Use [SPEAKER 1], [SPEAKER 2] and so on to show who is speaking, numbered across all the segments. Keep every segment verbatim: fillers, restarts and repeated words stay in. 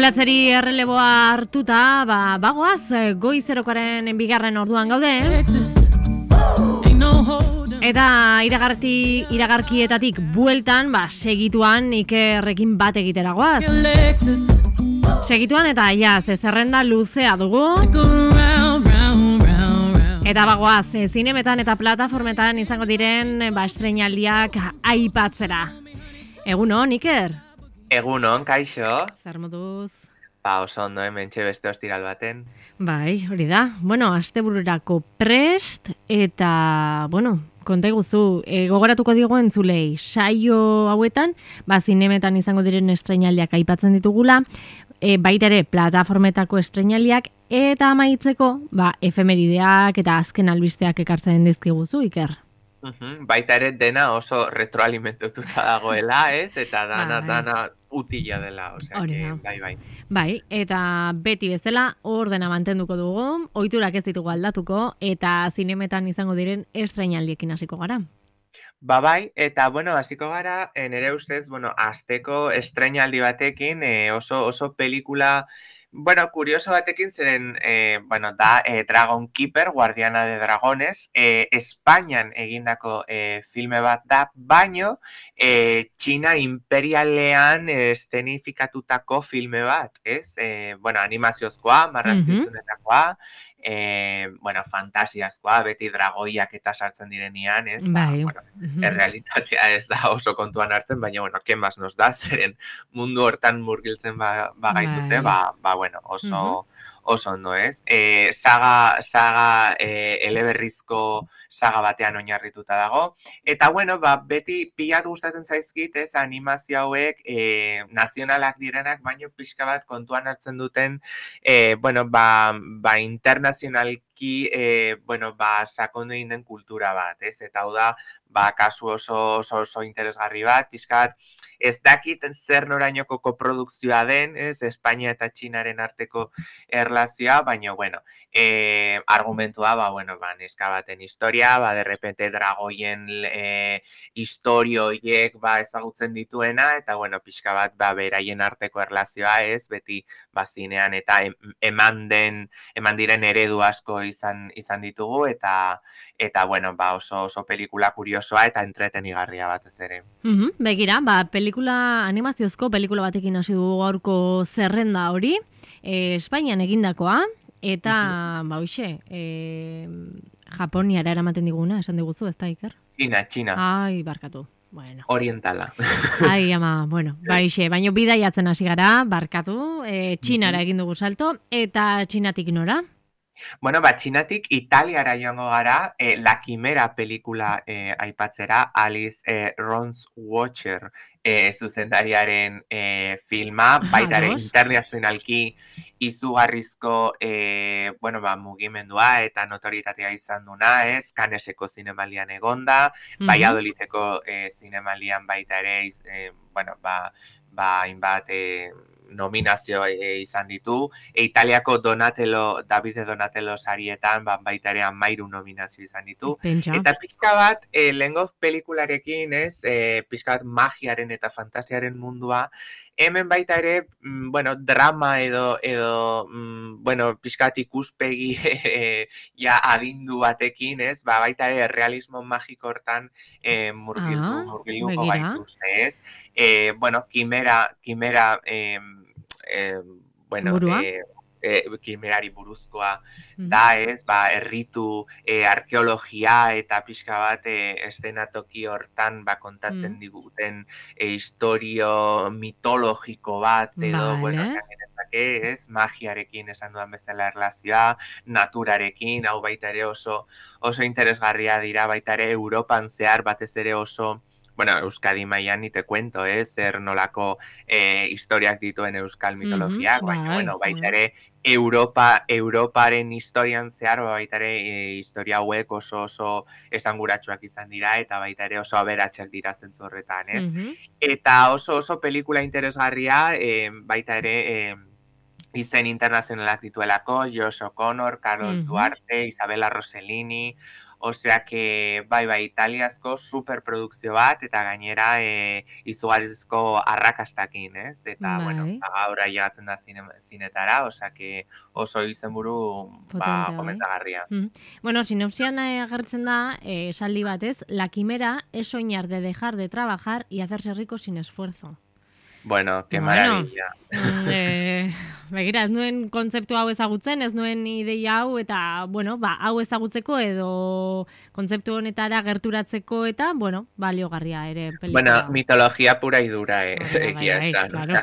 [SPEAKER 1] Olatzeri erreleboa hartuta, ba, bagoaz, goizerokoaren bigarren orduan gaude. Eta iragarti, iragarkietatik bueltan, ba, segituan Ikerrekin bat egiteragoaz. Segituan eta ja, ze zerrenda luzea dugu. Eta bagoaz, zinemetan eta plataformetan izango diren, ba, estreinaldiak aipatzera. Egunon, Iker?
[SPEAKER 2] Egunon, kaixo.
[SPEAKER 1] Zer moduz?
[SPEAKER 2] Ba, oso ondo, hementxe beste ostiral baten.
[SPEAKER 1] Bai, hori da. Bueno, astebururako prest, eta, bueno, konta iguzu, e, gogoratuko digo entzulei, saio hauetan, ba, zinemetan izango diren estreinaldiak aipatzen ditugula, e, baita ere, plataformetako estreinaldiak, eta amaitzeko, ba, efemerideak eta azken albisteak ekartzen dizkiguzu, Iker.
[SPEAKER 2] Uhum, baita ere dena oso retroalimentututa dagoela, ez? Eta dana, bai. dana utila dela, osea, que, bai, bai.
[SPEAKER 1] Bai, eta beti bezala ordena mantenduko dugu, ohiturak ez ditugu aldatuko, eta zinemetan izango diren estreinaldiekin hasiko gara.
[SPEAKER 2] Ba bai, eta bueno, hasiko gara, nere ustez, bueno, asteko estreinaldi batekin, eh, oso, oso pelikula... Bueno, kurioso batekin zeren, eh, bueno, da eh, Dragon Keeper, Guardiana de Dragones, eh, Espainian egindako eh, filme bat da, baino, eh, Txina imperialean estenifikatutako filme bat, ez? Eh, bueno, animaziozkoa, marrazkizunetakoa, eh, bueno, fantasiazkoa, beti dragoiak eta sartzen direnean, ez? Ba,
[SPEAKER 1] bai.
[SPEAKER 2] Bueno, errealitatea ez da oso kontuan hartzen, baina, bueno, ken más nos da, zeren mundu hortan murgiltzen ba, bagaituzte, ba, ba, bueno, oso, oso ondo, ez? E, saga, saga e, eleberrizko saga batean oinarrituta dago. Eta, bueno, ba, beti pilat gustatzen zaizkit, ez, animazio hauek e, nazionalak direnak, baino pixka bat kontuan hartzen duten, e, bueno, ba, ba internazionalki, e, bueno, ba, sakondu egin den kultura bat, ez? Eta hau da, ba, kasu oso, oso, oso interesgarri bat, pixka bat, ez dakit zer norainoko koprodukzioa den, ez, Espainia eta Txinaren arteko erlazioa, baina, bueno, e, argumentua, ba, bueno, ba, neska baten historia, ba, derrepente dragoien e, historioiek, ba, ezagutzen dituena, eta, bueno, pixka bat, ba, beraien arteko erlazioa, ez, beti, ba, zinean, eta eman den, eman diren eredu asko izan, izan ditugu, eta, eta, bueno, ba, oso, oso pelikula kuriosoa, eta entretenigarria batez ere.
[SPEAKER 1] Mm-hmm, begira, ba, pelikula, animaziozko pelikula batekin hasi dugu gaurko zerrenda hori, e, Espainian egindakoa, eta, mm-hmm. ba, hoxe, e, Japoniara eramaten diguna, esan diguzu, ez da, Iker?
[SPEAKER 2] Txina, Txina.
[SPEAKER 1] Ai, barkatu. Bueno.
[SPEAKER 2] Orientala.
[SPEAKER 1] Ai, ama, bueno, ba, hoxe, baino bidaiatzen hasi gara, barkatu, e, Txinara egin dugu salto, eta Txinatik nora?
[SPEAKER 2] Bueno, ba, Txinatik Italiara joango gara, eh, La Quimera pelikula eh, aipatzera, Alice eh, Rons Watcher eh, zuzendariaren eh, filma, baitare internazionalki izugarrizko eh, bueno, ba, mugimendua eta notoritatea izan duna, ez, Canneseko zinemalian egonda, mm-hmm. Valladolideko eh, zinemalian baita ere, eh, bueno, ba, ba, inbat, eh, nominazio e, izan ditu, e, Italiako Donatello, Davide Donatello sarietan, ba, baita ere amairu nominazio izan ditu.
[SPEAKER 1] Pentsa.
[SPEAKER 2] Eta pixka bat, e, lehengo pelikularekin, ez, e, pixka bat magiaren eta fantasiaren mundua, hemen baita ere, mm, bueno, drama edo, edo mm, bueno, pixka bat ikuspegi e, ja adindu batekin, ez, ba, baita ere realismo magiko hortan e, murgildu, ah, murgilduko gaituzte, ez. E, bueno, Quimera, Quimera, e, Eh, bueno, eh, eh, kimerari buruzkoa mm-hmm. da, ez, ba, erritu, eh, arkeologia eta pixka bat eh, estenatoki hortan ba, kontatzen mm. diguten eh, historio mitologiko bat, edo, vale. Bueno, zakenezake, ez, magiarekin esan dudan bezala erlazioa, naturarekin, hau baita ere oso, oso interesgarria dira, baita ere Europan zehar batez ere oso, bueno, Euskadi mailan ni te cuento, eh, zer nolako eh, historiak dituen euskal mitologiak, mm-hmm, baina, bueno, baita ere Europa, Europaren historian zehar, baita ere e, historia hauek oso oso esanguratsuak izan dira, eta baita ere oso aberatsak dira zentzu horretan, ez? Mm-hmm. Eta oso oso pelikula interesgarria, eh, baita ere eh, izen internazionalak dituelako, Josh O'Connor, Carol mm-hmm. Duarte, Isabella Rossellini, osea que, bai, bai, italiazko superprodukzio bat, eta gainera e, izugarrizko arrakastakin, ez? Eta, bueno,
[SPEAKER 1] Bai,
[SPEAKER 2] ba, gaur ailegatzen da zine, zinetara, osea que oso izenburu, ba,
[SPEAKER 1] potentea, bai.
[SPEAKER 2] komentagarria.
[SPEAKER 1] Mm. Bueno, sinopsian eh, agertzen da, eh, esaldi batez, la quimera es soñar de dejar de trabajar y hacerse rico sin esfuerzo.
[SPEAKER 2] Bueno, qué
[SPEAKER 1] Bueno,
[SPEAKER 2] maravilla.
[SPEAKER 1] mm, eh, begira, ez nuen kontzeptu hau ezagutzen, ez nuen ideia hau, eta, bueno, ba, hau ezagutzeko edo kontzeptu honetara gerturatzeko, eta, bueno, baliogarria ere
[SPEAKER 2] Bueno,
[SPEAKER 1] pelikula hau.
[SPEAKER 2] mitología pura y dura, eh,
[SPEAKER 1] Hori da, bai,
[SPEAKER 2] egia
[SPEAKER 1] bai,
[SPEAKER 2] esan.
[SPEAKER 1] claro.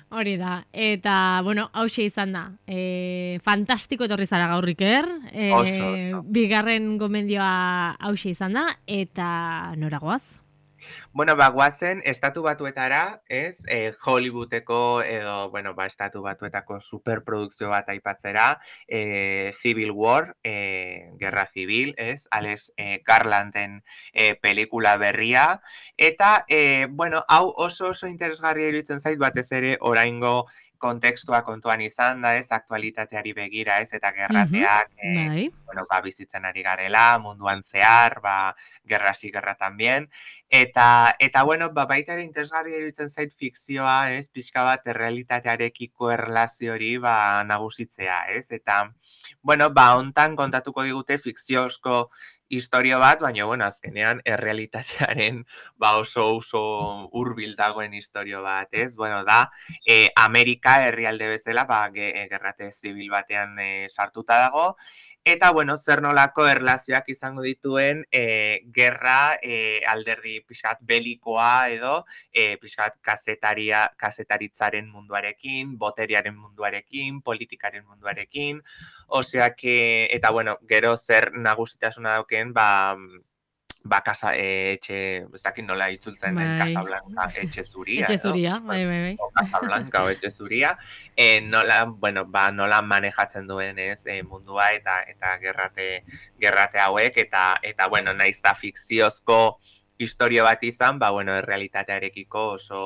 [SPEAKER 1] Hori da, eta, bueno, hause izan da. E, fantastiko etorri zara gaur, Iker. E,
[SPEAKER 2] Oso, oso.
[SPEAKER 1] bigarren gomendioa hause izan da, eta noragoaz?
[SPEAKER 2] Bueno, ba, guazen, estatu batuetara, ez, eh, Hollywoodeko edo, bueno, ba, estatu batuetako superprodukzio bat aipatzera, eh, Civil War, eh, Guerra Civil, ez, Alex eh, Garlanden eh, pelikula berria, eta, eh, bueno, hau oso oso interesgarria iruditzen zait batez ere oraingo kontekstua kontuan izan da, ez, aktualitateari begira, ez, eta gerrateak, eh,
[SPEAKER 1] Bai.
[SPEAKER 2] bueno, ba, bizitzen ari garela, munduan zehar, ba, gerra si gerra también, Eta, eta bueno, ba, baita ere interesgarria iruditzen zait fikzioa, ez, pixka bat errealitatearekiko erlazio hori, ba, nagusitzea, ez? Eta, bueno, ba, hontan kontatuko digute fikziozko historio bat, baina, bueno, azkenean errealitatearen, ba, oso oso hurbil dagoen historio bat, ez? Bueno, da, eh, Amerika herrialde bezala, ba, ge, gerrate zibil batean eh, sartuta dago, eta, bueno, zer nolako erlazioak izango dituen e, gerra e, alderdi pixkat belikoa edo e, pixkat kazetaria, kazetaritzaren munduarekin, boteriaren munduarekin, politikaren munduarekin, osea que, eta bueno, gero zer nagusitasuna dauken, ba, ba, kasa, e, etxe, ez dakit nola itzultzen den,
[SPEAKER 1] Bai.
[SPEAKER 2] Casablanca, etxe zuria,
[SPEAKER 1] Etxe
[SPEAKER 2] edo?
[SPEAKER 1] zuria, bai, bai, bai.
[SPEAKER 2] O Casablanca o etxe zuria, e, nola, bueno, ba, nola manejatzen duen, ez, e, mundua eta eta gerrate, gerrate hauek, eta, eta bueno, naiz da fikziozko historio bat izan, ba, bueno, errealitatearekiko oso,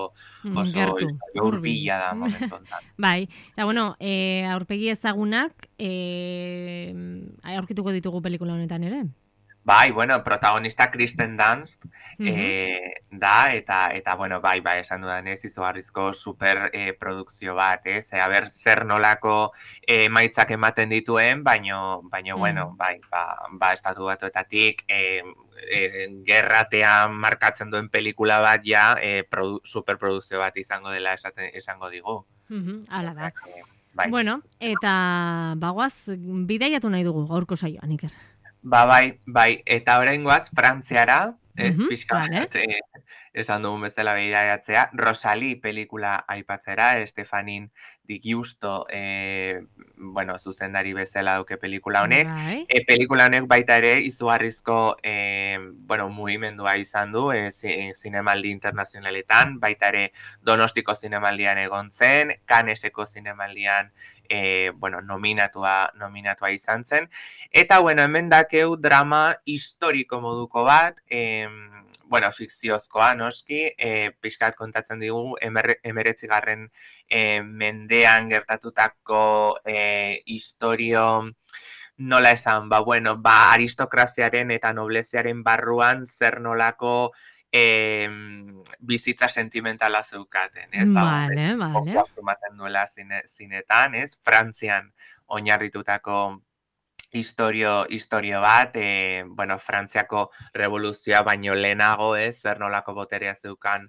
[SPEAKER 2] oso
[SPEAKER 1] Gertu,
[SPEAKER 2] historio
[SPEAKER 1] hurbil.
[SPEAKER 2] hurbila da momentu honetan.
[SPEAKER 1] Bai, eta bueno, e, aurpegi ezagunak e, aurkituko ditugu pelikula honetan ere.
[SPEAKER 2] Bai, bueno, protagonista Kristen Dunst
[SPEAKER 1] Mhm.
[SPEAKER 2] eh, da, eta, eta bueno, bai, bai, esan dudan ez, izugarrizko super eh, produkzio bat, ez? E, aber, zer nolako eh, maitzak ematen dituen, baino, baino
[SPEAKER 1] Mm.
[SPEAKER 2] bueno, bai, ba, ba estatu batuetatik eh, eh, gerratean markatzen duen pelikula bat ja eh, produ, superprodukzio bat izango dela esaten, esango digu.
[SPEAKER 1] Mhm, hala da.
[SPEAKER 2] Osea que, bai.
[SPEAKER 1] Bueno, eta bagoaz, bidaiatu nahi dugu gaurko saioan, Iker.
[SPEAKER 2] Ba, bai, bai, eta oraingoaz Frantziara, ez,
[SPEAKER 1] Mhm,
[SPEAKER 2] pixka
[SPEAKER 1] vale.
[SPEAKER 2] bat, eh, esan dugun bezala bidaiatzea, Rosalie pelikula aipatzera, Estefanin Di Giusto, eh, bueno, zuzendari bezala duke pelikula honek,
[SPEAKER 1] Bai.
[SPEAKER 2] e, pelikula honek baita ere izugarrizko, eh, bueno, mugimendua izan du, e, zi, zinemaldi internazionaletan, baita ere Donostiko zinemaldian egon zen, Canneseko zinemaldian, e, bueno, nominatua, nominatua izan zen, eta, bueno, hemen dakeu drama historiko moduko bat, eh, bueno, fikziozkoa, noski, eh, pixkat kontatzen digu, emeretzigarren eh, mendean gertatutako eh, historio, nola esan, ba, bueno, ba, aristokraziaren eta nobleziaren barruan zer nolako eh, bizitza sentimentala zeukaten, ez?
[SPEAKER 1] Vale, vale.
[SPEAKER 2] Asumaten duela zine, zinetan, ez? Frantzian oinarritutako historio, historio bat, e, bueno, Frantziako revoluzioa baino lehenago, ez, zer nolako boterea zeukan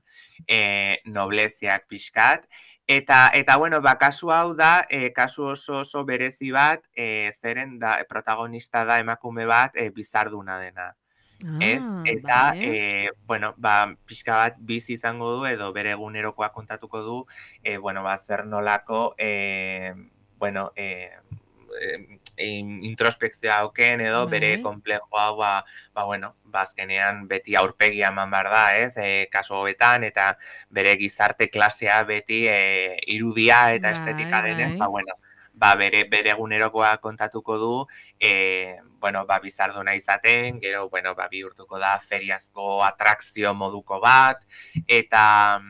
[SPEAKER 2] e, nobleziak pixkat. Eta, eta bueno, ba, kasu hau da, e, kasu oso oso berezi bat, e, zeren da, protagonista da emakume bat, e, bizarduna dena. Ez,
[SPEAKER 1] Ah,
[SPEAKER 2] eta,
[SPEAKER 1] vale.
[SPEAKER 2] e, bueno, ba, pixka bat bizi izango du, edo bere egunerokoa kontatuko du, e, bueno, ba, zer nolako, e, bueno, e, introspekzioa auken edo
[SPEAKER 1] Bai.
[SPEAKER 2] bere konplejoa, ba, ba, bueno, ba, azkenean beti aurpegia eman behar da, ez, e, kasu hobetan, eta bere gizarte klasea beti e, irudia eta
[SPEAKER 1] Bai,
[SPEAKER 2] estetika denez,
[SPEAKER 1] bai.
[SPEAKER 2] ba, bueno, ba, bere, bere egunerokoa kontatuko du, e, bueno, ba, bizarduna izaten, gero, bueno, ba, bihurtuko da feriazko atrakzio moduko bat, eta,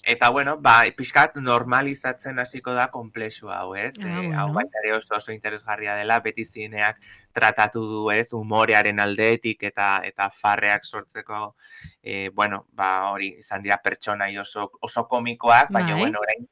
[SPEAKER 2] eta bueno, ba, pixkat normalizatzen hasiko da konplexu hau, ez?
[SPEAKER 1] Ah,
[SPEAKER 2] E, hau
[SPEAKER 1] bueno.
[SPEAKER 2] baita ere oso oso interesgarria dela, beti zineak tratatu du, ez, humorearen aldetik eta eta farreak sortzeko, e, bueno, ba, hori izan dira pertsonai oso, oso komikoak, baina,
[SPEAKER 1] Bai.
[SPEAKER 2] bueno, orain,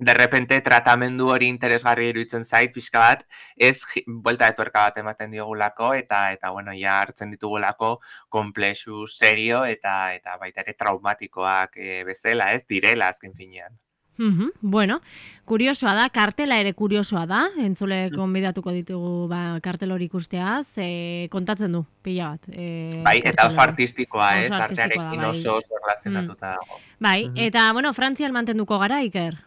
[SPEAKER 2] de repente tratamendu hori interesgarri iruditzen zait, pixka bat, ez buelta etorka bat ematen diogulako, eta, eta bueno, ja hartzen ditugulako komplexu serio eta eta baita ere traumatikoak e, bezala, ez, direla azken finean.
[SPEAKER 1] Uhum, bueno, kuriosoa da, kartela ere kuriosoa da, entzule konbidatuko ditugu ba, kartel hori ikusteaz, e, kontatzen du, pila bat. E,
[SPEAKER 2] bai, eta oso
[SPEAKER 1] kartel hori.
[SPEAKER 2] artistikoa,
[SPEAKER 1] Oso
[SPEAKER 2] ez,
[SPEAKER 1] artistikoa da,
[SPEAKER 2] artearekin
[SPEAKER 1] bai.
[SPEAKER 2] oso oso relazionatuta dago.
[SPEAKER 1] Bai,
[SPEAKER 2] Mhm.
[SPEAKER 1] eta, bueno, Frantzian mantenduko gara, Iker?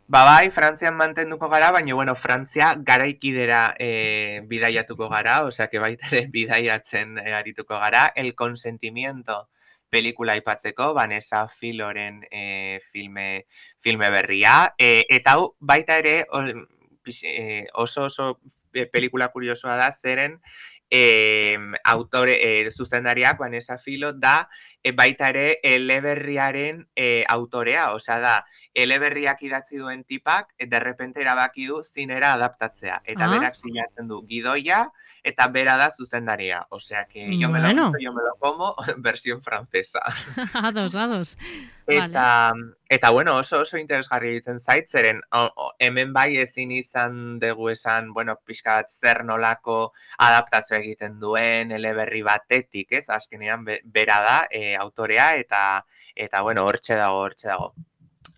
[SPEAKER 2] Ba bai, Frantzian mantenduko gara, baina, bueno, Frantzia garaikidera e, bidaiatuko gara, osea, que baita ere bidaiatzen e, arituko gara, El Consentimiento pelikula aipatzeko, Vanessa Filoren e, filme, filme berria, e, eta hau baita ere o, pix, e, oso oso pelikula kuriosoa da, zeren e, autore, e, zuzendariak Vanessa Filo da, e, baita ere eleberriaren e, autorea, osea da, eleberriak idatzi duen tipak, de repente erabaki du zinera adaptatzea. Eta
[SPEAKER 1] Ah.
[SPEAKER 2] berak sinatzen du gidoia, eta bera da zuzendaria. Osea, que yo me lo
[SPEAKER 1] Bueno.
[SPEAKER 2] gusto, yo me lo como, versión francesa.
[SPEAKER 1] Ados, ados.
[SPEAKER 2] Eta,
[SPEAKER 1] Vale.
[SPEAKER 2] eta bueno, oso oso interesgarri ditzen zait, zeren o, o, hemen bai ezin izan dugu esan, bueno, pixkat zer nolako adaptazio egiten duen, eleberri batetik, ez? Azkenean be, bera da, e, autorea, eta, eta bueno, hortxe dago, hortxe dago.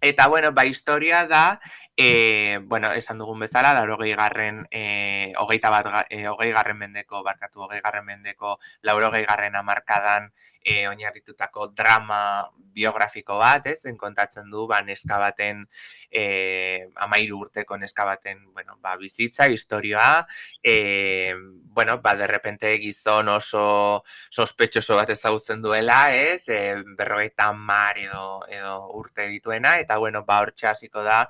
[SPEAKER 2] Eta, bueno, ba, historia da, e, bueno, esan dugun bezala, laurogei garren, e, hogeita bat, e, hogei garren mendeko, barkatu, hogei garren mendeko, laurogei garren amarkadan e, oinarritutako drama biografiko bat, ez, enkontatzen du, ba, neska baten, e, amairu urteko neska baten, bueno, ba, bizitza, historioa, e, bueno, ba, de repente gizon oso sospetxoso bat ezagutzen duela, ez, e, berrogeita hamar edo, edo urte dituena, eta, bueno, ba, hortxe hasiko da,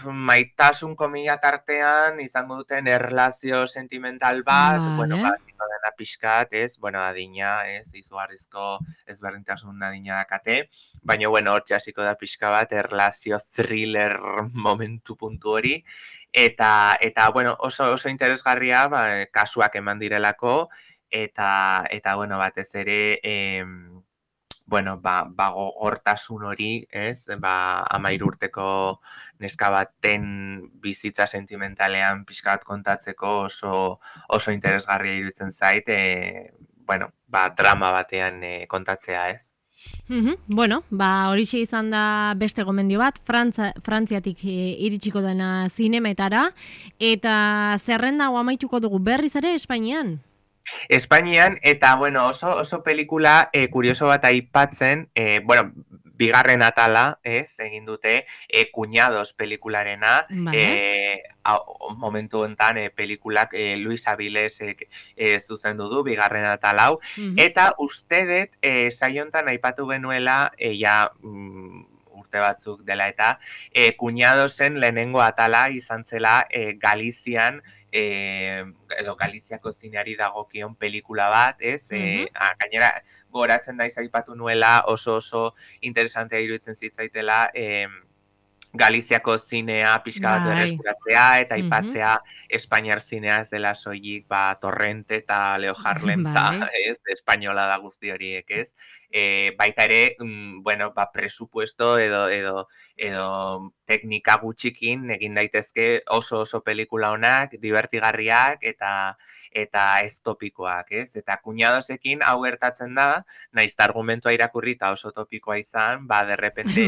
[SPEAKER 2] maitasun komila tartean izango duten erlazio sentimental bat,
[SPEAKER 1] Vale.
[SPEAKER 2] bueno, ba, hasiko dena pixkat, ez, bueno, adina, ez, izugarrizko ezberdintasun adina dakate, baina, bueno, hortxe hasiko da pixka bat, erlazio thriller momentu puntu hori, eta, eta bueno, oso, oso interesgarria, ba, kasuak eman direlako, eta, eta bueno, batez ere, em, bueno, ba, ba hortasun hori, ez, ba, amairu urteko neska baten bizitza sentimentalean pixka bat kontatzeko oso, oso interesgarria iruditzen zait, e, bueno, ba, drama batean e, kontatzea, ez.
[SPEAKER 1] Uhum. Bueno, ba, horixe izan da beste gomendio bat, Frantza, Frantziatik e, iritsiko dena zinemetara, eta zerrenda hau amaituko dugu berriz ere Espainian?
[SPEAKER 2] Espainian, eta, bueno, oso, oso pelikula e, kurioso bat aipatzen, e, bueno, bigarren atala, ez, egin dute, e, Cuñados pelikularena,
[SPEAKER 1] Vale.
[SPEAKER 2] e, a, momentu enten e, pelikulak e, Luis Avilés e, e, zuzendu du, bigarren atalau,
[SPEAKER 1] Uhum.
[SPEAKER 2] eta uste dut, e, saiontan aipatu genuela, e, ja, mm, urte batzuk dela eta, e, Cuñadosen lehenengo atala izan zela e, Galizian, E, edo Galiziako zineari dagokion pelikula bat, ez? E, a, gainera, goratzen naiz aipatu nuela oso oso interesantea iruditzen zitzaitela e, Galiziako zinea pixka bat berreskuratzea eta aipatzea Espainiar zinea ez dela soilik ba, Torrente eta Leo Harlem eta ez, espainola da guzti horiek, ez? E, baita ere, mm, bueno, ba, presupuesto edo, edo, edo teknika gutxikin egin daitezke oso oso pelikula honak, divertigarriak eta eta ez topikoak, ez? Eta Cuñadosekin hau gertatzen da, naiz argumentua irakurri eta oso topikoa izan, ba, de repente,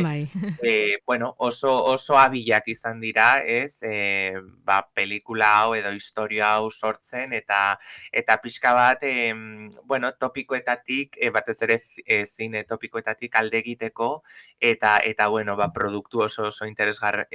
[SPEAKER 2] e, bueno, oso, oso abilak izan dira, ez? E, ba, pelikula hau edo historia hau sortzen, eta eta pixka bat, e, bueno, topikoetatik, e, batez ere e, zine topikoetatik alde egiteko, eta, eta bueno, ba, produktu oso oso interesgarri,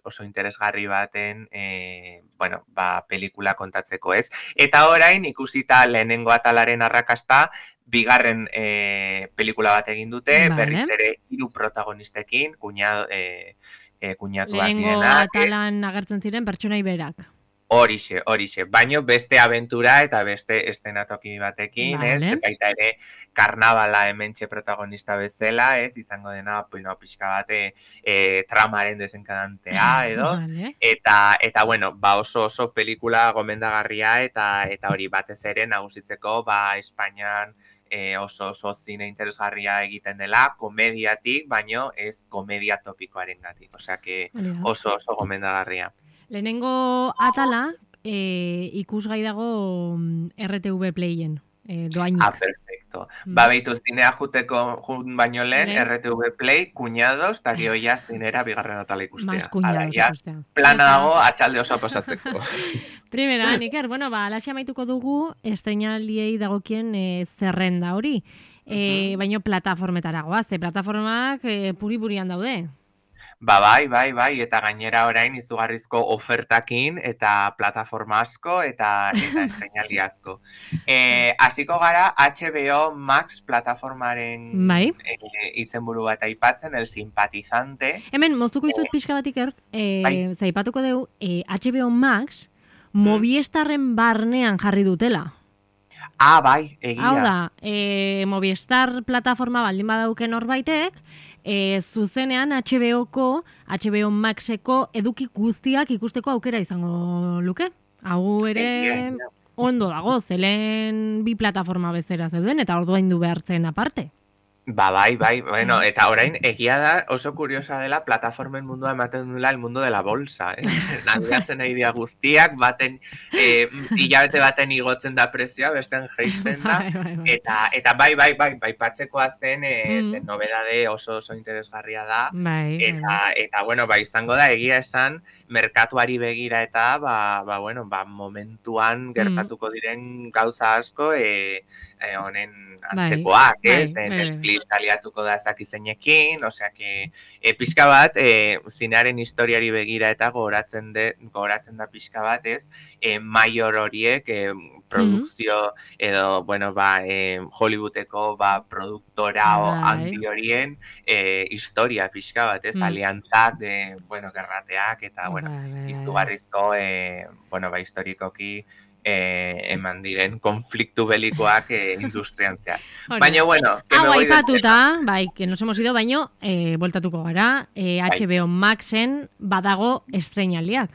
[SPEAKER 2] oso interesgarri baten, e, bueno, ba, pelikula kontatzeko, ez? Eta orain, ikusita lehenengo atalaren arrakasta, bigarren e, pelikula bat egin dute, vale. Berriz ere hiru protagonistekin, kuñado, e, e, kuñatuak
[SPEAKER 1] lehenengo
[SPEAKER 2] direnak.
[SPEAKER 1] atalan agertzen ziren pertsonai berak.
[SPEAKER 2] Horixe, horixe, baino beste aventura eta beste estenatoki batekin, ez?
[SPEAKER 1] Vale.
[SPEAKER 2] Baita ere, karnabala hementxe protagonista bezala, ez? Izango dena, bueno, pixka bate e, tramaren desenkadantea, edo?
[SPEAKER 1] Vale.
[SPEAKER 2] Eta, eta bueno, ba oso oso pelikula gomendagarria eta eta hori batez ere nagusitzeko, ba, Espainian e, oso oso zine interesgarria egiten dela, komediatik, baino ez komedia topikoarengatik, osea que oso oso gomendagarria.
[SPEAKER 1] Lehenengo atala, e, ikusgai dago R T V Playen, e, doainik.
[SPEAKER 2] Ah, perfecto. Mm. Ba, behitu zinea juteko jun baino lehen, Lehen. R T V Play, kuñados, eta gio ja zinera bigarren atala ikustea.
[SPEAKER 1] Mas kuñados ikustea.
[SPEAKER 2] Plana dago, atxalde oso pasatzeko.
[SPEAKER 1] Primera, Niker, bueno, ba, alaxia maituko dugu, estrenaldiei dagokien e, zerrenda hori. E, uh-huh. Baino plataformetara goaz, ze plataformak e, puri-purian daude.
[SPEAKER 2] Ba, bai, bai, bai, eta gainera orain izugarrizko ofertakin eta plataforma asko eta eta estreinaldi asko. Eh, hasiko gara H B O Max plataformaren
[SPEAKER 1] bai.
[SPEAKER 2] e, izenburu bat aipatzen, el simpatizante.
[SPEAKER 1] Hemen, moztuko izut eh, pixka batik erk, eh, bai. Zaipatuko dugu, eh, H B O Max Movistarren barnean jarri dutela.
[SPEAKER 2] Ah, bai, egia.
[SPEAKER 1] Hau da, e, Movistar plataforma baldin badauken horbaitek, e, zuzenean H B O-ko, H B O Maxeko eduki guztiak ikusteko aukera izango luke. Hau ere ondo dago, zelen bi plataforma bezera zeuden, eta orduaindu behartzen aparte.
[SPEAKER 2] Ba, bai, bai, bueno, eta orain egia da oso kuriosa dela plataformen mundua ematen duela el mundo de la bolsa, eh? Nabigatzen nahi dia guztiak, baten, eh, hilabete baten igotzen da prezioa, besten geisten da,
[SPEAKER 1] bai, bai, bai.
[SPEAKER 2] eta, eta bai, bai, bai, bai, patzekoa zen, eh, mm. zen nobedade oso oso interesgarria da,
[SPEAKER 1] bai,
[SPEAKER 2] eta,
[SPEAKER 1] bai.
[SPEAKER 2] eta, bueno, bai, izango da, egia esan, merkatuari begira eta, ba, ba, bueno, ba, momentuan gertatuko diren gauza asko, eh, eh, honen antzekoak, bai, ez? Bai, Netflix bai. Aliatuko da ez dakizeinekin, osea que e, pixka bat, e, zinearen historiari begira eta gogoratzen, de, gogoratzen da pixka bat, ez? E, Maior horiek, e, produkzio mm-hmm. edo, bueno, ba, e, Hollywoodeko, ba, produktora bai. handi horien e, historia pixka bat, ez? Mm. Aliantzak, de, bueno, gerrateak, eta, bueno, bai. izugarrizko, e, bueno, ba, historikoki, Eh, eman diren konfliktu belikoak eh, industrian zehar. Baina, bueno, que me voy
[SPEAKER 1] aipatuta, bai, que nos hemos ido, baino, eh, voltatuko gara, eh, H B O Maxen badago estreinaldiak.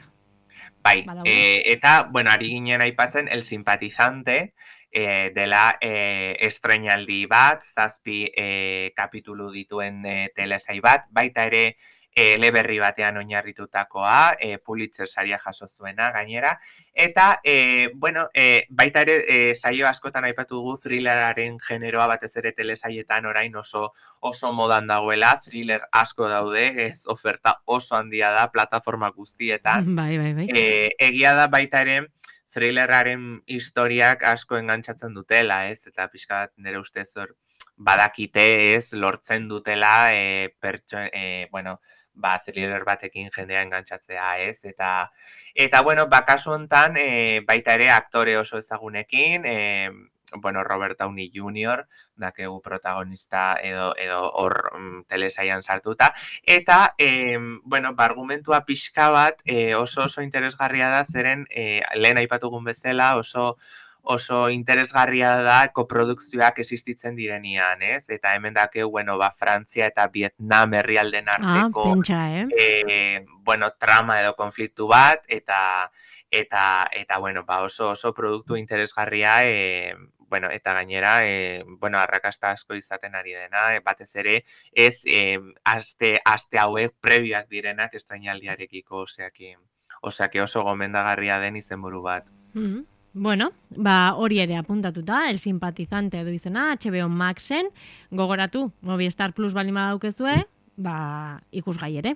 [SPEAKER 2] Bai, eh, eta, bueno, ari ginen aipatzen, el simpatizante, eh, dela eh, estreinaldi bat, zazpi eh, kapitulu dituen eh, telesai bat, baita ere, E, eleberri batean oinarritutakoa, e, Pulitzer saria jaso zuena gainera, eta, e, bueno, e, baita ere, e, saio askotan aipatu dugu thrilleraren generoa batez ere telesaietan orain oso oso modan dagoela, thriller asko daude, ez oferta oso handia da, plataforma guztietan.
[SPEAKER 1] Bai, bai, bai.
[SPEAKER 2] E, egia da baita ere, thrilleraren historiak asko engantzatzen dutela, ez, eta pixka bat nire ustez hor badakite, ez, lortzen dutela, e, pertso, e, bueno, ba, thriller batekin jendea engantzatzea, ez? Eta, eta bueno, ba, kasu hontan, e, baita ere aktore oso ezagunekin, e, bueno, Robert Downey junior, dakegu protagonista edo edo hor mm, telesaian sartuta, eta, e, bueno, ba, argumentua pixka bat e, oso oso interesgarria da, zeren e, lehen aipatugun bezala, oso oso interesgarria da koprodukzioak existitzen direnean, ez? Eta hemen dakeu, bueno, ba, Frantzia eta Vietnam herrialden arteko,
[SPEAKER 1] ah, pentsa, eh?
[SPEAKER 2] eh, bueno, trama edo konfliktu bat, eta, eta, eta bueno, ba, oso oso produktu interesgarria, eh, bueno, eta gainera, eh, bueno, arrakasta asko izaten ari dena, eh, batez ere, ez, eh, aste, aste hauek prebiak direnak estrainaldiarekiko, oseaki, oseaki oso gomendagarria den izenburu bat.
[SPEAKER 1] Mm-hmm. Bueno, ba, hori ere apuntatuta, el simpatizante edo izena, H B O Maxen, gogoratu, Movistar Plus baldin badaukezue, ba, ikusgai ere,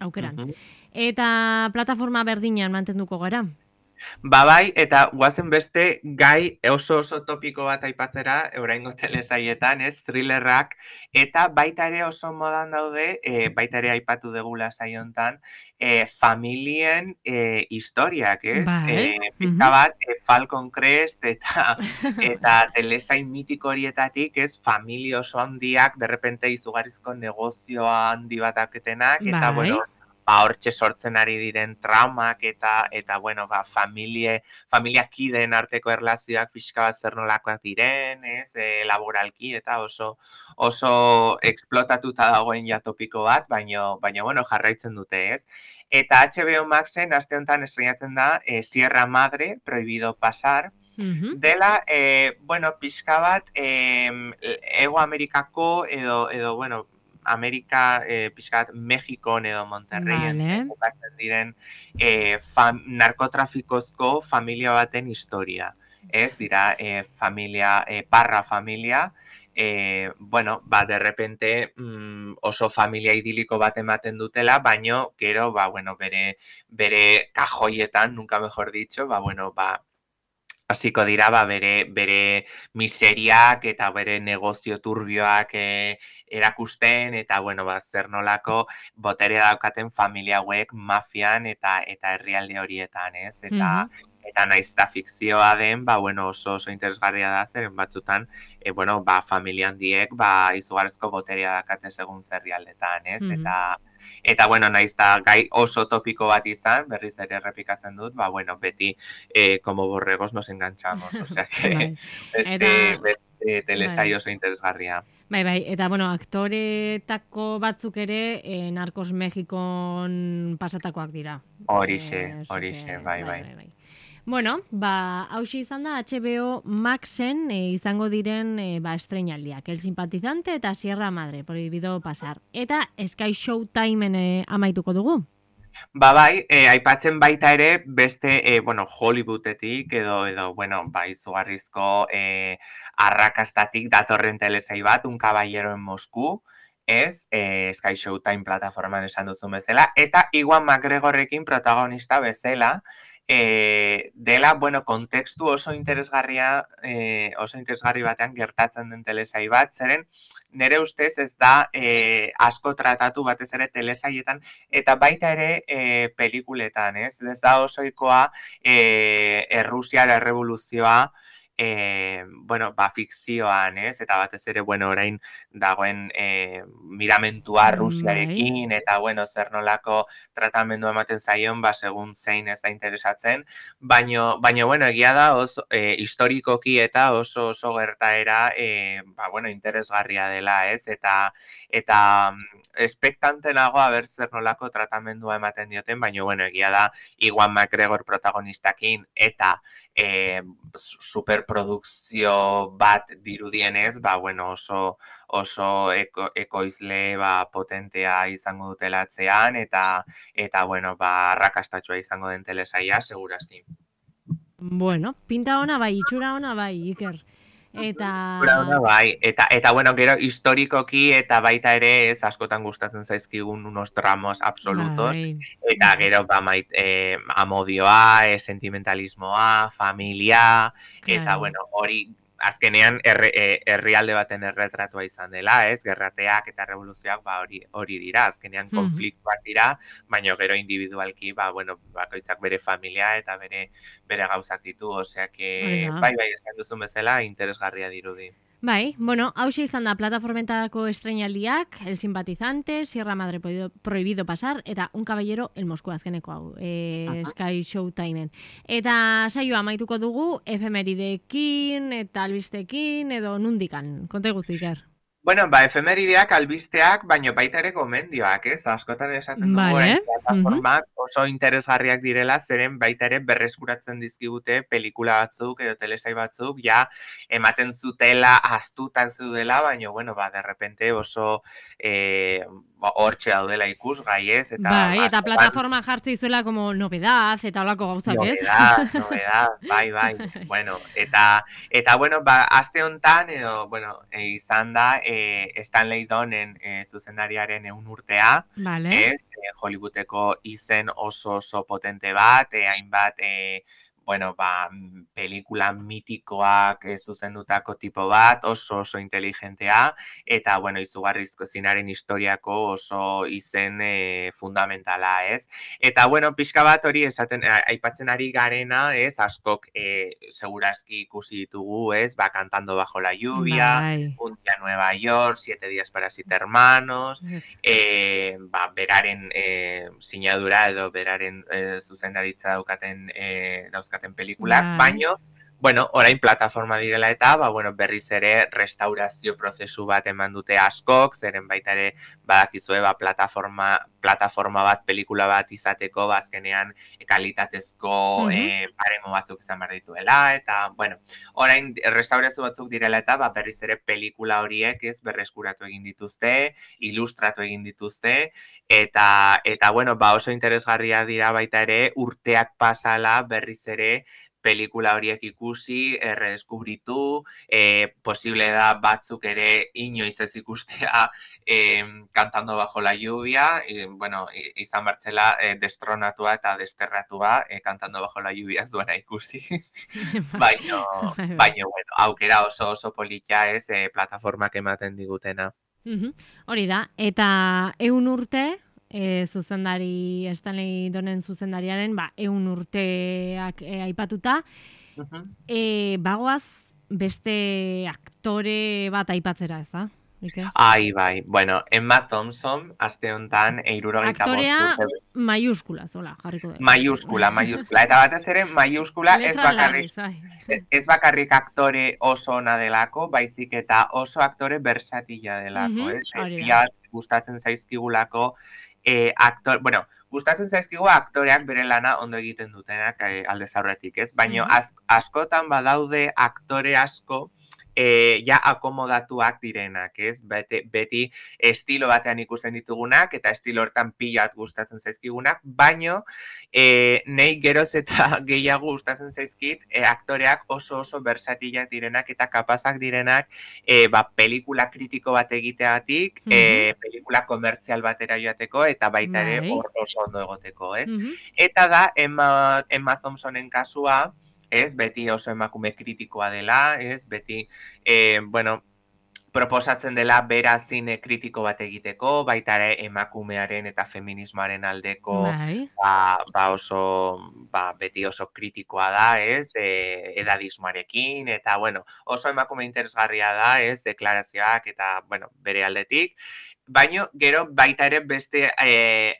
[SPEAKER 1] aukeran. Uh-huh. Eta plataforma berdinean mantenduko gara?
[SPEAKER 2] Ba bai, eta guazen beste gai oso oso topiko bat aipatzera, oraingo telesaietan, ez, thrillerrak, eta baita ere oso modan daude, e, baita ere aipatu degula saiontan, e, familien e, historiak, ez?
[SPEAKER 1] Bai.
[SPEAKER 2] E, pizka bat, e, Falcon Crest, eta, eta telesain mitiko horietatik, ez, familia oso handiak, derrepente izugarrizko negozioa handi bataketenak, eta,
[SPEAKER 1] bai.
[SPEAKER 2] bueno, ba, hortxe sortzen ari diren traumak eta, eta bueno, ba, familie, familia kideen arteko erlazioak pixka bat zer nolakoak diren, ez, e, laboralki eta oso, oso eksplotatuta dagoen ja topiko bat, baino, baino, bueno, jarraitzen dute, ez. Eta H B O Maxen, aste honetan estrenatzen da, e, Sierra Madre, Prohibido Pasar,
[SPEAKER 1] Mhm.
[SPEAKER 2] dela, eh, bueno, pixka bat, eh, Ego Amerikako edo, edo bueno, Amerika, eh, pixka bat, Mexikon edo Monterreien eh,
[SPEAKER 1] Vale.
[SPEAKER 2] kokatzen diren eh, fam, narkotrafikozko familia baten historia. Ez dira, eh, familia, eh, parra familia, eh, bueno, ba, de repente mm, oso familia idiliko bat ematen dutela, baino, gero, ba, bueno, bere, bere kajoietan, nunca mejor dicho, ba, bueno, ba, hasiko dira ba, bere, bere miseriak eta bere negozio turbioak e, erakusten eta bueno, ba, zer nolako botere daukaten familia hauek mafian eta eta herrialde horietan, ez? Eta
[SPEAKER 1] Mhm.
[SPEAKER 2] eta naiz eta fikzioa den, ba, bueno, oso oso interesgarria da zeren batzutan, e, bueno, ba, familia handiek ba, izugarrizko boterea dakate segun zerrialdetan, ez?
[SPEAKER 1] Mhm.
[SPEAKER 2] Eta Eta, bueno, naiz eta gai oso topiko bat izan, berriz ere errepikatzen dut, ba, bueno, beti eh, como borregos nos enganchamos, o sea que
[SPEAKER 1] Bai.
[SPEAKER 2] beste,
[SPEAKER 1] Eta,
[SPEAKER 2] beste telesail
[SPEAKER 1] bai.
[SPEAKER 2] oso interesgarria.
[SPEAKER 1] Bai, bai, eta bueno, aktoretako batzuk ere eh, Narcos Mexikon pasatakoak dira.
[SPEAKER 2] Horixe,
[SPEAKER 1] Eh, so
[SPEAKER 2] horixe,
[SPEAKER 1] que,
[SPEAKER 2] bai,
[SPEAKER 1] bai,
[SPEAKER 2] bai.
[SPEAKER 1] bai, bai. Bueno, ba, hauxe izan da H B O Maxen eh, izango diren eh, ba, estreinaldiak. El Simpatizante eta Sierra Madre, Prohibido Pasar. Eta Sky Showtimeen eh, amaituko dugu.
[SPEAKER 2] Ba bai, e, aipatzen baita ere beste, e, bueno, Hollywoodetik edo, edo bueno, ba, izugarrizko e, arrakastatik datorren telesail bat, Un caballero en Moscú, ez, e, Sky Showtime plataforman esan duzun bezala, eta Iwan McGregorrekin protagonista bezala, e, dela, bueno, kontekstu oso interesgarria, e, oso interesgarri batean gertatzen den telesail bat, zeren nire ustez ez da e, asko tratatu batez ere telesailetan, eta baita ere e, pelikuletan, ez? Ez da osoikoa e, Errusiara errevoluzioa e, bueno, ba, fikzioan, ez? Eta batez ere, bueno, orain dagoen e, miramentua
[SPEAKER 1] Bai.
[SPEAKER 2] Rusiarekin, eta, bueno, zer nolako tratamendu ematen zaion, ba, segun zein ez da interesatzen, baino, baino, bueno, egia da oso, e, historikoki eta oso oso gertaera, e, ba, bueno, interesgarria dela, ez? Eta, eta espektante nago haber zer nolako tratamendua ematen dioten, baina bueno, egia da Iwan McGregor protagonistakin eta e, superprodukzio bat dirudienez, ba bueno, oso oso eko, ekoizle ba, potentea izango dutelatzean eta eta bueno, ba arrakastatsua izango den telesaia segurazki.
[SPEAKER 1] Bueno, pinta ona bai, itxura ona bai, Iker. Eta...
[SPEAKER 2] Ona bai, eta eta bueno, gero historikoki eta baita ere ez askotan gustatzen zaizkigun unos dramos absolutos
[SPEAKER 1] Bai,
[SPEAKER 2] eta
[SPEAKER 1] bai,
[SPEAKER 2] gero ba mait, eh, amodioa, eh, sentimentalismoa, familia eta
[SPEAKER 1] claro.
[SPEAKER 2] bueno, hori azkenean herri, eh, herrialde baten erretratua izan dela, ez? Gerrateak eta revoluzioak ba hori hori dira, azkenean
[SPEAKER 1] Mhm.
[SPEAKER 2] konfliktuak dira, baina gero individualki ba bueno, bakoitzak bere familia eta bere bere gauzak ditu, osea
[SPEAKER 1] Hori
[SPEAKER 2] que
[SPEAKER 1] da.
[SPEAKER 2] bai bai esan duzun bezala interesgarria dirudi.
[SPEAKER 1] Bai, bueno, hauxe izan da plataformetako estreinaldiak, El Simpatizante, Sierra Madre Prohibido, Prohibido Pasar, eta Un Caballero el Moscú azkeneko hau, e, Sky Showtimeen. Eta saioa amaituko dugu, efemeridekin, eta albistekin, edo nundikan, konta guztiker.
[SPEAKER 2] Bueno, ba, efemerideak, albisteak, baino baita ere gomendioak, ez? Askotan esaten dugu orain
[SPEAKER 1] Vale. Mhm.
[SPEAKER 2] plataformak oso interesgarriak direla, zeren baita ere berreskuratzen dizkigute pelikula batzuk edo telesai batzuk, ja ematen zutela, astutan zeudela, baino, bueno, ba, de repente oso eh, ba, hortxe daudela ikusgai, ez? Eta
[SPEAKER 1] Bai, eta
[SPEAKER 2] askotan
[SPEAKER 1] plataforma jartzi izuela como novedad, eta holako gauzak, ez?
[SPEAKER 2] novedad, novedad, bai, bai. Bueno, eta, eta bueno, ba, aste hontan, edo, bueno, e, izan da, e, Stanley Donen e, zuzendariaren eun urtea,
[SPEAKER 1] Vale.
[SPEAKER 2] ez? E, Hollywoodeko izen oso oso potente bat, e, hainbat, e, bueno, ba, pelikula mitikoak e, zuzendutako tipo bat, oso oso inteligentea, eta, bueno, izugarrizko zinaren historiako oso izen e, fundamentala, ez? Eta, bueno, pixka bat hori esaten, aipatzen ari garena, ez, askok e, segurazki ikusi ditugu, ez, ba, Cantando bajo la lluvia,
[SPEAKER 1] Bai.
[SPEAKER 2] Un día Nueva York, Siete días para siete hermanos, e, ba, beraren e, sinadura edo beraren e, zuzendaritza daukaten, e, dauzkaten pelikulak,
[SPEAKER 1] Bai.
[SPEAKER 2] baino, bueno, orain plataforma direla eta, ba, bueno, berriz ere restaurazio prozesu bat eman dute askok, zeren baita ere badakizue, ba, plataforma, plataforma bat, pelikula bat izateko, bazkenean kalitatezko
[SPEAKER 1] Mhm.
[SPEAKER 2] e, baremo batzuk izan behar dituela, eta, bueno, orain restaurazio batzuk direla eta, ba, berriz ere pelikula horiek ez berreskuratu egin dituzte, ilustratu egin dituzte, eta, eta bueno, ba, oso interesgarria dira baita ere, urteak pasala berriz ere pelikula horiek ikusi, erredeskubritu, e, posible da batzuk ere inoiz ez ikustea e, Cantando bajo la lluvia, e, bueno, izan bertzela e, destronatua eta desterratua, e, Cantando bajo la lluvia ez duena ikusi. baino, baino, bueno, aukera oso oso polita ez, e, plataformak ematen digutena.
[SPEAKER 1] Mhm. Hori da, eta eun urte, e, zuzendari, Stanley Donen zuzendariaren, ba, eun urteak e, aipatuta,
[SPEAKER 2] Uh-huh.
[SPEAKER 1] e, bagoaz beste aktore bat aipatzera, ez da? Ike?
[SPEAKER 2] Ai, bai, bueno, Emma Thompson, aste honetan, eirurogeita bost
[SPEAKER 1] Aktorea
[SPEAKER 2] urte.
[SPEAKER 1] maiuskula, zola, jarriko dugu.
[SPEAKER 2] Maiuskula, maiuskula. Eta batez ere, maiuskula ez bakarrik, ez bakarrik aktore oso ona delako, baizik eta oso aktore versatila delako,
[SPEAKER 1] Mhm,
[SPEAKER 2] ez?
[SPEAKER 1] hori da.
[SPEAKER 2] Pia gustatzen zaizkigulako, eh, aktor, bueno, gustatzen zaizkigu aktoreak bere lana ondo egiten dutenak eh, aldez aurretik, ez? Baina
[SPEAKER 1] Mhm.
[SPEAKER 2] az, askotan badaude aktore asko, E, ja akomodatuak direnak, ez? Beti, beti estilo batean ikusten ditugunak, eta estilo hortan pilat gustatzen zaizkigunak, baino e, nei geroz eta gehiago gustatzen zaizkit e, aktoreak oso oso versatilak direnak eta kapazak direnak e, ba, pelikula kritiko bat egiteagatik, mm -hmm. e, pelikula komertzial batera joateko, eta baita ere hor oso ondo egoteko, ez? Mm -hmm. Eta da, Emma, Emma Thompsonen kasua, ez, beti oso emakume kritikoa dela, ez, beti, e, bueno, proposatzen dela bera zine kritiko bat egiteko, baita ere emakumearen eta feminismoaren aldeko ba, ba oso, ba, beti oso kritikoa da, ez, e, edadismoarekin, eta, bueno, oso emakume interesgarria da, ez, deklarazioak eta, bueno, bere aldetik, baino, gero, baita ere beste e,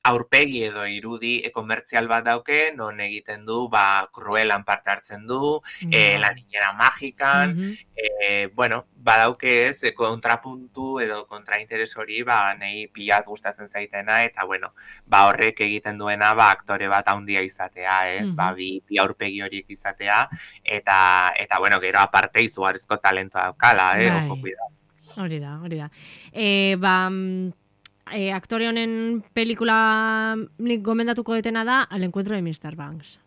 [SPEAKER 2] aurpegi edo irudi e, komertzial bat dauke, non egiten du, ba, Cruelan parte hartzen du, e, La niñera magikan, mm -hmm. e, bueno, badauke ez, e, kontrapuntu edo kontrainteres hori, ba, nahi pilat gustatzen zaitena, eta, bueno, ba, horrek egiten duena, ba, aktore bat handia izatea, ez, mm -hmm. ba, bi, bi aurpegi horiek izatea, eta, eta, bueno, gero aparte izugarrizko talentoa daukala, eh, ojo, cuidado.
[SPEAKER 1] Hori da, hori da. E, ba, e, aktore honen pelikula nik gomendatuko detena da Al encuentro de mister Banks.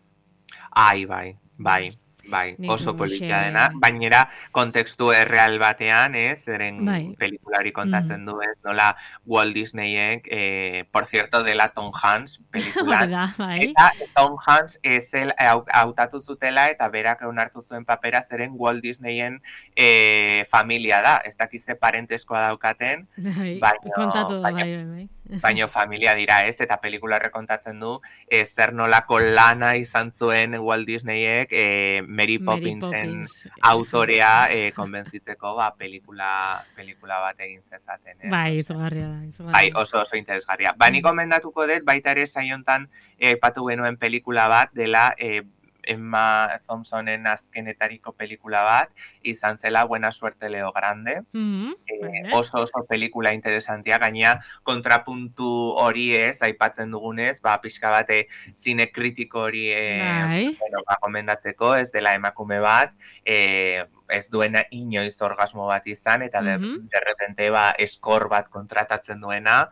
[SPEAKER 2] Ai, bai, bai, bai, oso politia dena, bainera kontekstu erreal batean, ez, zeren bai. Pelikulari kontatzen mm. du, ez, nola Walt Disneyek, eh, por cierto, dela Tom Hanks pelikulan,
[SPEAKER 1] bai.
[SPEAKER 2] eta Tom Hanks ezel hautatu zutela eta berak onartu zuen papera zeren Walt Disneyen eh, familia da, ez dakize parenteskoa daukaten,
[SPEAKER 1] bai, baino, kontatu da, bai, bai, bai.
[SPEAKER 2] Baino familia dira, ez, eta pelikula rekontatzen du, e, zer nolako lana izan zuen Walt Disneyek e, Mary Poppinsen Mary Poppins. autorea e, konbentzitzeko ba, pelikula, pelikula bat egin zezaten. Ez,
[SPEAKER 1] bai, izugarria da. Izugarria.
[SPEAKER 2] Bai, oso oso interesgarria. Ba, nik gomendatuko dut, baita ere saiontan aipatu e, genuen pelikula bat dela e, Emma Thompsonen azkenetariko pelikula bat, izan zela Buena suerte Leo Grande. Mm-hmm. e, oso oso pelikula interesantia, gaina kontrapuntu hori ez, aipatzen dugunez, ba, pixka bate zine kritiko hori e, bueno, ba, gomendatzeko, ez dela emakume bat, e, ez duena inoiz orgasmo bat izan, eta mm-hmm. de, de repente ba, eskor bat kontratatzen duena,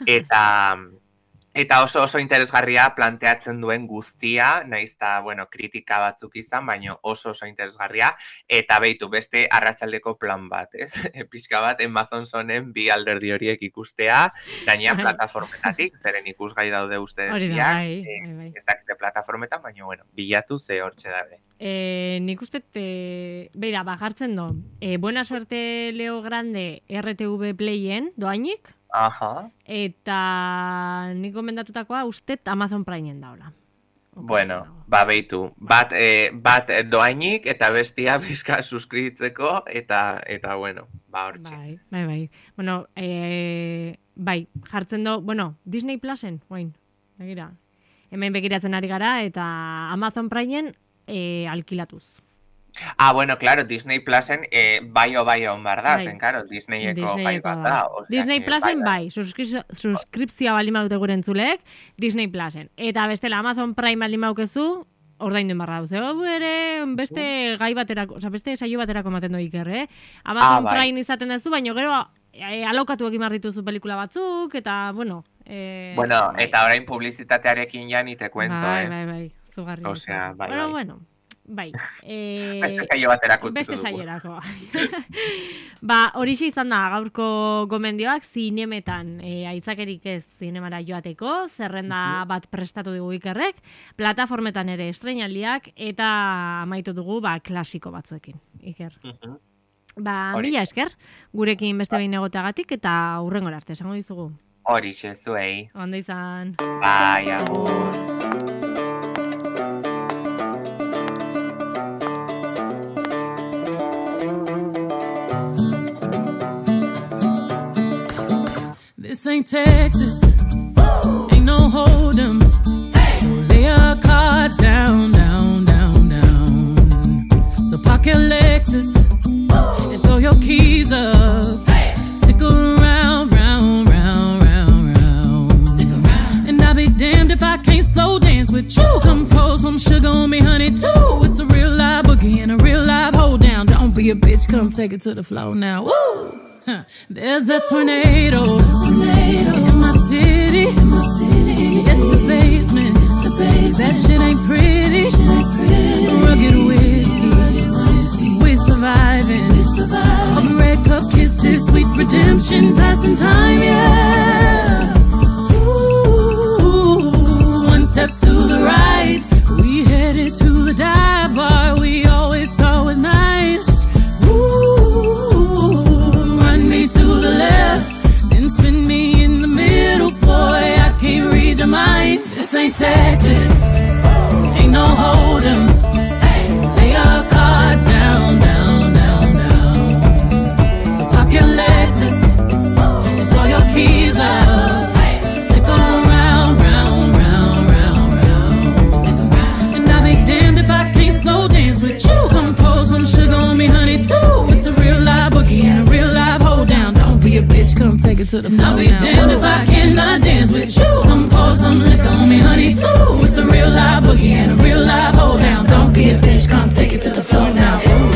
[SPEAKER 2] eta... Eta oso oso interesgarria planteatzen duen guztia, naizta, bueno, kritika batzuk izan, baina oso oso interesgarria, eta beitu beste arratsaldeko plan bat, ez? Pixka bat, Emma Thompsonen bi alderdi horiek ikustea, gaina plataformetatik, zeren ikusgai daude uste diak, eh, ez dakizte plataformetan, baina, bueno, bilatu ze hortxe daude.
[SPEAKER 1] Eh, nik uste, eh, beira, bajartzen do, eh, Buena suerte Leo Grande R T V Playen, doainik?
[SPEAKER 2] Aha.
[SPEAKER 1] Eta nik gomendatutakoa ustet Amazon Primeen daula.
[SPEAKER 2] Bueno, ba beitu, bat, eh, bat doainik eta bestia bizka suskribitzeko eta, eta bueno, ba hortxe.
[SPEAKER 1] Bai, bai, bai. Bueno, eh, bai, jartzen do, bueno, Disney Plusen, oain, begira. Hemen begiratzen ari gara eta Amazon Primeen eh, alkilatuz.
[SPEAKER 2] Ah, bueno, claro, Disney Plusen eh, bai o bai on bar da,
[SPEAKER 1] Bai.
[SPEAKER 2] zen, claro, Disneyeko
[SPEAKER 1] Disneyeko
[SPEAKER 2] gai bat da. O sea,
[SPEAKER 1] Disney
[SPEAKER 2] que
[SPEAKER 1] Plusen
[SPEAKER 2] bai,
[SPEAKER 1] bai, suskripzio- suskripzioa baldin badute gure entzuleek, Disney Plusen. Eta bestela Amazon Prime baldin badukezu, ordaindu barra duzu. Hau ere beste gai baterako, osea, beste saio baterako ematen du Iker, eh? Amazon
[SPEAKER 2] Ah, bai.
[SPEAKER 1] Prime izaten duzu, baina gero eh, alokatu egin behar dituzu pelikula batzuk, eta, bueno... Eh,
[SPEAKER 2] Bueno,
[SPEAKER 1] bai.
[SPEAKER 2] eta orain publizitatearekin ja ni te cuento,
[SPEAKER 1] bai,
[SPEAKER 2] eh.
[SPEAKER 1] bai, bai, zugarri.
[SPEAKER 2] O sea, bai,
[SPEAKER 1] bueno,
[SPEAKER 2] bai.
[SPEAKER 1] bueno, bai. Eh,
[SPEAKER 2] Beste saio baterako utziko
[SPEAKER 1] Beste
[SPEAKER 2] dugu.
[SPEAKER 1] saierako. Ba, horixe izan da gaurko gomendioak zinemetan e, aitzakerik ez zinemara joateko, zerrenda bat prestatu dugu Ikerrek, plataformetan ere estreinaldiak eta amaitu dugu ba, klasiko batzuekin, Iker.
[SPEAKER 2] Mhm.
[SPEAKER 1] Ba,
[SPEAKER 2] Hori.
[SPEAKER 1] mila esker, gurekin beste behin egoteagatik eta hurrengora arte, esango dizugu.
[SPEAKER 2] Horixe zuei.
[SPEAKER 1] Ondo izan.
[SPEAKER 2] Bai, agur.
[SPEAKER 3] This ain't Texas, ain't no hold'em. So lay your cards down, down, down, down. So park your Lexus and throw your keys up. Stick around, round, round, round, round. Stick around. And I'll be damned if I can't slow dance with you. Come pour some sugar on me, honey, too. It's a real live boogie and a real live hold down. Don't be a bitch, come take it to the floor now. Woo! Huh. There's a tornado, tornado in my city, in my city. In the basement, the basement. That shit ain't pretty. Shit ain't pretty. Rugged whiskey, rugged whiskey. We surviving. We surviving. All the red cup kisses, sweet redemption, passing time, yeah. Ooh, one step to the right, we headed to the dive bar we always thought was nice. To the left, then spin me in the middle, boy, I can't read your mind. This ain't Texas, ain't no hold'em. Lay your cards down, down, down, down. So park your Lexus and throw your keys up. Stick around, round, round, round, round. And I'll be damned if I can't slow dance with you. Come pour some sugar on me, honey, too. It's a real live boogie and a real live hold down. Don't be a bitch, come take it to the floor. I'll be damned if I cannot dance with you. Come pour some liquor on me, honey, too. It's a real live boogie and a real live hold down. Don't be a bitch, come take it to the floor now. Ooh.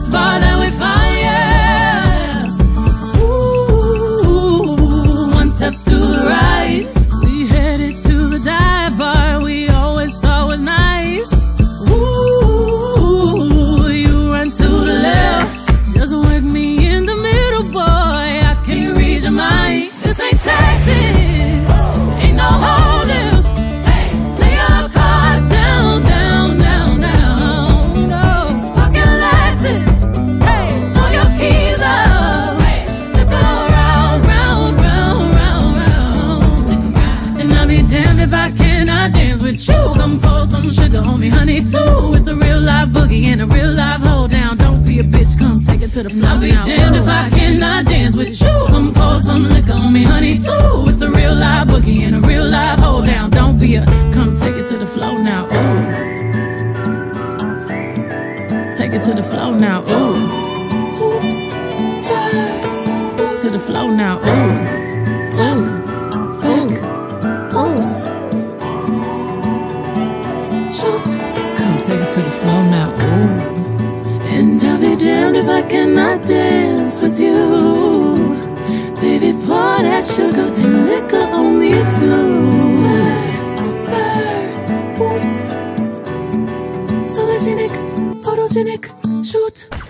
[SPEAKER 3] Bar that we find, yeah. Ooh, one step to the right, we headed to the dive bar we always thought was nice. Ooh, you run to the left, just work me in the middle, boy, I can't read your mind. This ain't Texas, ain't no hold'em. Lay your cards down, down, down, down. No, pocket Lexus. If I cannot dance with you, come pour some sugar on me, honey, too. It's a real live boogie and a real live hold down. Don't be a bitch, come take it to the floor. I'll be damned if I cannot dance with you. Come pour some liquor on me, honey, too. It's a real live boogie and a real live hold down. Don't be a, come take it to the floor now, ooh. Take it to the floor now, ooh. Oops, stars. To the floor now, ooh. Ooh. Come take it to the floor now, ooh. And I'll be damned if I cannot dance with you. Baby, pour that sugar and liquor on me too. Spurs, boots, sologenic, photogenic, shoot.